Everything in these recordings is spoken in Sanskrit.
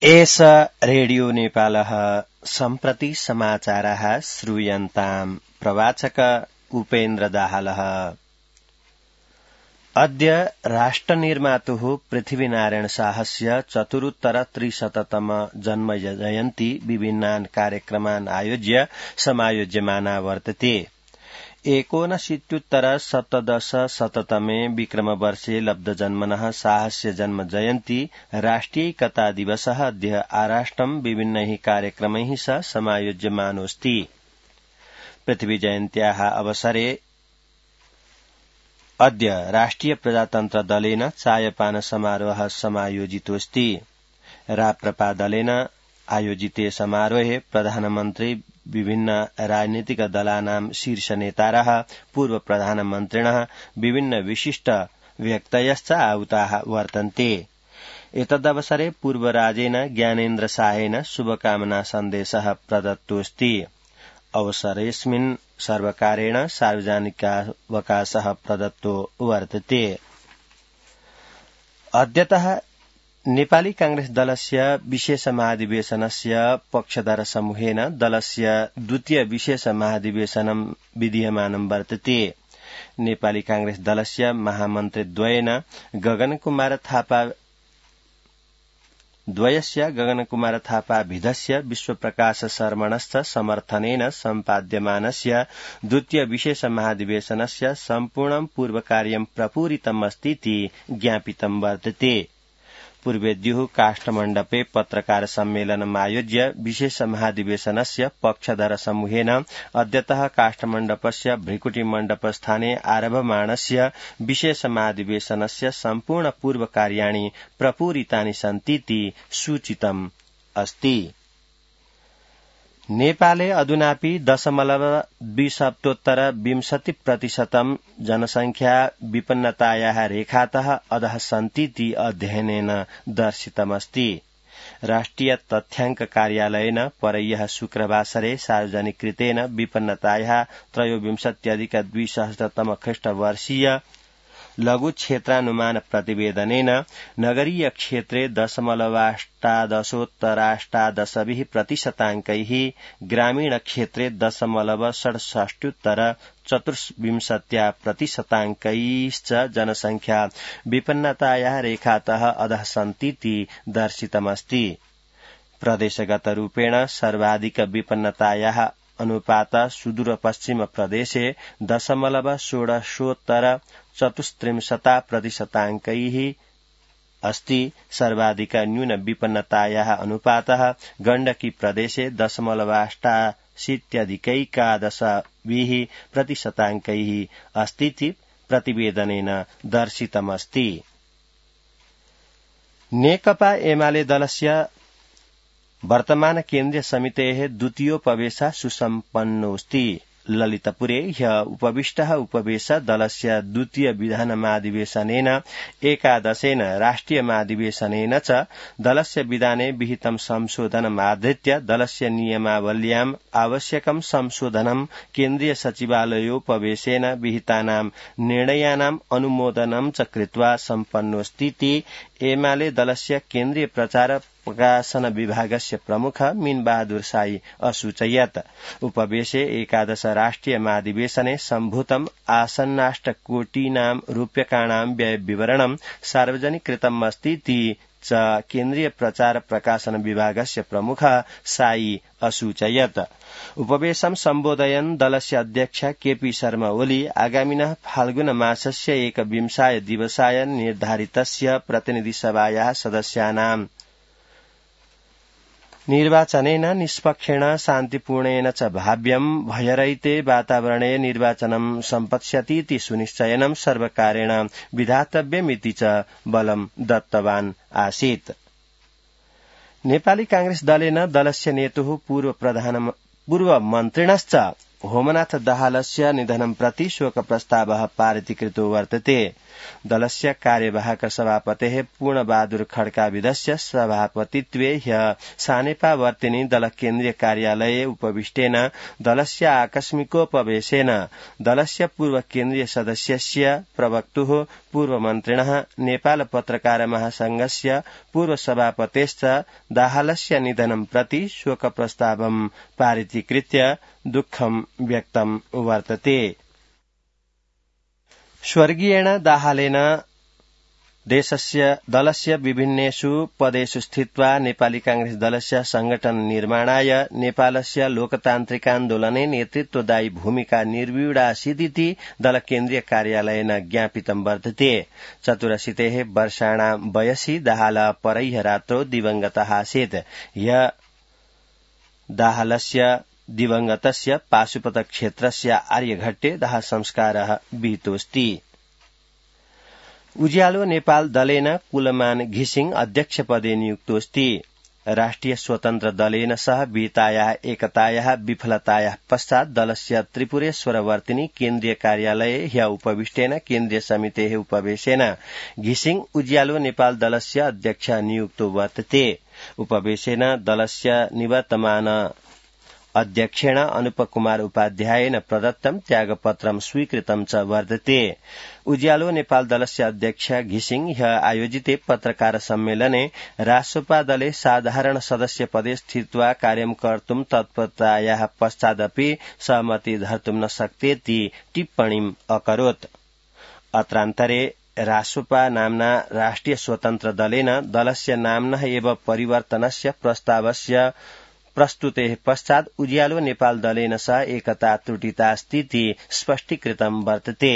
एष रेडियो नेपालः सम्प्रति समाचारः श्रूयन्ताम्। प्रवाचक उपेन्द्र दाहालः। अद्य राष्ट्रनिर्मातुः पृथ्वीनारायण शाहस्य चतुरुत्तर 300तम जन्मजयन्ती विभिन्नान् कार्यक्रमान् आयोज्य समायोज्यमाना वर्तते। 1970 विक्रमवर्षे लब्धजन्मनः शाहस्य जन्मजयन्ती राष्ट्रियैकता दिवसः अद्य आराष्ट्रं विभिन्नैः कार्यक्रमैः सह समायोज्यमानोऽस्ति। पृथ्वीजयन्त्याः अवसरे अद्य राष्ट्रिय प्रजातन्त्र दलेन चायपान समारोहः समायोजितोऽस्ति। राप्रपा दलेन आयोजिते समारोहे प्रधानमन्त्री विभिन्न राजनीतिक दलानां शीर्ष नेतारः पूर्व प्रधानमन्त्रिणः विभिन्न विशिष्ट व्यक्तयश्च आहुताः वर्तन्ते। एतदवसरे पूर्वराजेन ज्ञानेन्द्र शाहेन शुभकामना सन्देशः प्रदत्तोऽस्ति। अवसरेऽस्मिन् सर्वकारेण सार्वजनिकावकाशः प्रदत्तो वर्तते। अद्यतः नेपाली कांग्रेस दलस्य विशेष महाधिवेशनस्य पक्षधर समूहेन दलस्य द्वितीय विशेष महाधिवेशनं विधीयमानं वर्तते। नेपाली कांग्रेस दलस्य महामन्त्रीद्वयेन गगनकुमार थापा भिदस्य विश्वप्रकाश शर्मणश्च समर्थनेन सम्पाद्यमानस्य द्वितीय विशेष महाधिवेशनस्य सम्पूर्णं पूर्वकार्यं प्रपूरितमस्तीति ज्ञापितं वर्तते। पूर्वेद्युः काष्ठमण्डपे पत्रकार सम्मेलनमायोज्य विशेष महाधिवेशनस्य पक्षधर समूहेन अद्यतः काष्ठमण्डपस्य भृकुटिमण्डपस्थाने आरभमाणस्य विशेष महाधिवेशनस्य सम्पूर्ण पूर्वकार्याणि प्रपूरितानि सन्तीति सूचितम् अस्ति। नेपाले अधुनापि 0.20% जनसंख्या विपन्नतायाः रेखातः अधः सन्तीति अध्ययनेन दर्शितमस्ति। राष्ट्रिय तथ्याङ्क कार्यालयेन परह्यः शुक्रवासरे सार्वजनिकृतेन विपन्नतायाः 23.20 ख्रीष्टवर्षीय लघु क्षेत्रानुमान प्रतिवेदनेन नगरीय क्षेत्रे 0.18% ग्रामीण क्षेत्रे 0.67% जनसंख्या विपन्नतायाः रेखातः अधः सन्तीति दर्शितमस्ति। प्रदेशगतरूपेण सर्वाधिक विपन्नतायाः अनुपात सुदूर पश्चिम प्रदेशे 0.1634% अस्ति। सर्वाधिक न्यून विपन्नतायाः अनुपातः गण्डकी प्रदेशे 0.88% अस्तीति प्रतिवेदनेन दर्शितमस्ति। नेकपा एमाले दलस्य वर्तमान केन्द्रीय समितेः द्वितीयोपवेशः सुसम्पन्नोऽस्ति। ललितपुरे ह्यः उपविष्टः उपवेश दलस्य द्वितीय विधानमाधिवेशनेन एकादशेन राष्ट्रिय महाधिवेशनेन च दलस्य विधाने विहितं संशोधनमाधृत्य दलस्य नियमावल्याम् आवश्यकं संशोधनं केन्द्रीय सचिवालयोपवेशेन विहितानां निर्णयानाम् अनुमोदनं च कृत्वा सम्पन्नोऽस्तीति एमाले दलस्य केन्द्रीय प्रचार प्रकाशन विभागस्य प्रमुख मीनबहादुर साई असूचयत्। उपवेशे एकादश राष्ट्रिय महाधिवेशने सम्भूतम् आसन्नाष्टकोटीनां रूप्यकाणां व्ययविवरणं सार्वजनिकृतम् अस्तीति च केन्द्रीय प्रचार प्रकाशन विभागस्य प्रमुख साई असूचयत्। उपवेशं सम्बोधयन् दलस्य अध्यक्ष केपी शर्मा ओली आगामिनः फाल्गुन मासस्य 21 दिवसाय निर्धारितस्य प्रतिनिधिसभायाः सदस्यानां निर्वाचनेन निष्पक्षेण शान्तिपूर्णेन च भाव्यं भयरहिते वातावरणे निर्वाचनं सम्पत्स्यतीति सुनिश्चयनं सर्वकारेण विधातव्यमिति च बलं दत्तवान् आसीत्। नेपाली कांग्रेस दलेन दलस्य नेतुः पूर्वमन्त्रिणश्च होमनाथ दाहालस्य निधनं प्रति शोकप्रस्तावः पारितीकृतो वर्तते। दलस्य कार्यवाहक सभापतेः पूर्णबहादुर खड्काविदस्य सभापतित्वे ह्यः सानेपावर्तिनि दल केन्द्रीय कार्यालये उपविष्टेन दलस्य आकस्मिकोपवेशेन दलस्य पूर्व केन्द्रीय सदस्यस्य प्रवक्तुः पूर्वमन्त्रिणः नेपाल पत्रकार महासंघस्य पूर्वसभापतेश्च दाहालस्य निधनं प्रति शोकप्रस्तावं पारितीकृत्य दुःखं व्यक्तं वर्तते। स्वर्गीयेण दाहालेन देशस्य दलस्य विभिन्नेषु पदेषु स्थित्वा नेपाली कांग्रेस दलस्य संगठन निर्माणाय नेपालस्य लोकतान्त्रिकान्दोलने नेतृत्वदायी भूमिका निर्व्यूढासीदिति दल केन्द्रीय कार्यालयेन ज्ञापितं वर्तते। 84 वर्षाणां वयसि दाहाल परह्य रात्रौ दिवंगतः आसीत्। ह्य दाहालस्य दिवंगतस्य पाशुपतक्षेत्रस्य आर्यघट्टे दाहसंस्कारः विहितोऽस्ति। उज्यालो नेपाल दलेन कुलमान घिसिङ अध्यक्षपदे नियुक्तोऽस्ति। राष्ट्रिय स्वतन्त्र दलेन सह विहितायाः एकतायाः विफलतायाः पश्चात् दलस्य त्रिपुरेश्वरवर्तिनी केन्द्रीय कार्यालये ह्य उपविष्टेन केन्द्रीय समितेः उपवेशेन घिसिङ उज्यालो नेपाल दलस्य अध्यक्ष नियुक्तो वर्तते। उपवेशेन दलस्य निवर्तमान अध्यक्षेण अनुपकुमार उपाध्यायेन प्रदत्तं त्यागपत्रं स्वीकृतं च वर्तते। उज्यालो नेपाल दलस्य अध्यक्ष घिसिङ ह्य आयोजिते पत्रकार सम्मेलने रासोपा दले साधारण सदस्य पदे स्थित्वा कार्यं कर्तुं तत्परतायाः पश्चादपि सहमति धर्तुं न शक्तेति टिप्पणीम् अकरोत्। अत्रान्तरे रासोपा नाम्ना राष्ट्रिय स्वतन्त्र दलेन दलस्य नाम्नः एव परिवर्तनस्य प्रस्तावस्य प्रस्तुतेः पश्चात् उज्यालो नेपाल दलेन सह एकता त्रुटितास्तीति स्पष्टीकृतं वर्तते।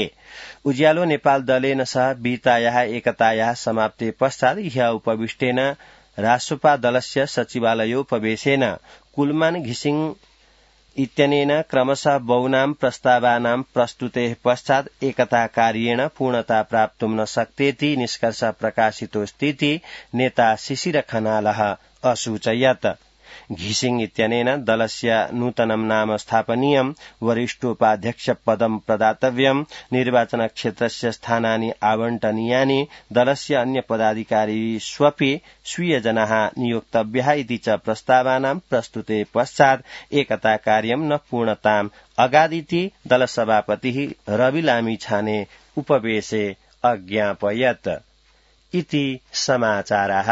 उज्यालो नेपाल दलेन सह विहितायाः एकतायाः समाप्ते पश्चात् ह्य उपविष्टेन रासोपा दलस्य सचिवालयोपवेशेन कुलमान घिसिङ इत्यनेन क्रमशः बहुनां प्रस्तावानां प्रस्तुतेः पश्चात् एकता कार्येण पूर्णता प्राप्तुं न शक्तेति निष्कर्ष प्रकाशितोऽस्तीति नेता शिशिर खनालः असूचयत्। घिसिङ इत्यनेन दलस्य नूतनं नाम स्थापनीयं, वरिष्ठोपाध्यक्ष पदं प्रदातव्यं, निर्वाचन क्षेत्रस्य स्थानानि आवंटनीयानि, दलस्य अन्य पदाधिकारिष्वपि स्वीयजनाः नियोक्तव्याः इति च प्रस्तावानां प्रस्तुते पश्चात् एकता कार्यं न पूर्णताम् अगादिति दलसभापतिः रवि लामिछाने उपवेशे अज्ञापयत् इति समाचारः।